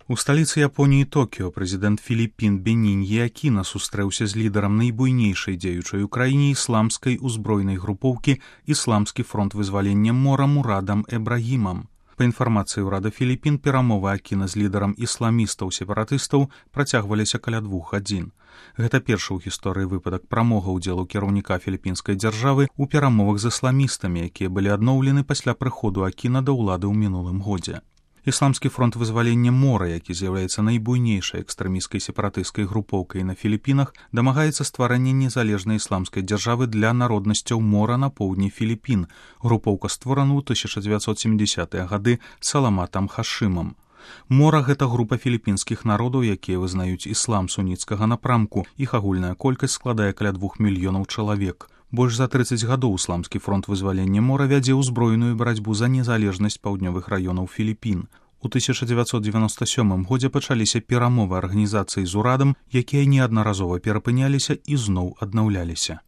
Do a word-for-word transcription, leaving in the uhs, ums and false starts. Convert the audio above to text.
У сталіцы Японіі Токіо прэзідэнт Філіпін Беніньі Акіна сустрэўся з лідарам найбуйнейшай дзеючай у краіне ісламскай узброенай групоўкі «Ісламскі фронт вызвалення мора» Мурадам Эбрагімам. Па інфармацыі ўрада Філіпін, перамовы Акіна з лідарам ісламістаў-сепаратыстаў працягваліся каля двух гадзін. Гэта першы ў гісторыі выпадак прамога ўдзелу кіраўніка філіпінскай дзяржавы ў перамовах з ісламістамі, якія былі адноўлены пасля прыходу Акіна да ўлады ў мінулым годзе. Ісламскі фронт вызвалення мора, які з'яўляецца найбуйнейшай экстрэмісцкай сепаратысцкай групоўкай на Філіпінах, дамагаецца стварання незалежнай ісламскай дзяржавы для народнасцяў мора на поўдні Філіпін. Групоўка створана ў тысяча дзевяцьсот сямідзясятыя гады Саламатам Хашымам. Мора – гэта група філіпінскіх народаў, якія вызнаюць іслам суніцкага напрамку. Іх агульная колькасць складае каля двух мільёнаў чалавек. Больш за трыццаць гадоў ісламскі фронт вызвалення мора вядзе ўзброеную барацьбу за незалежнасць паўднёвых раёнаў Філіпін. У тысяча дзевяцьсот дзевяноста сёмым годзе пачаліся перамовы арганізацыі з урадам, якія неаднаразова перапыняліся і зноў аднаўляліся.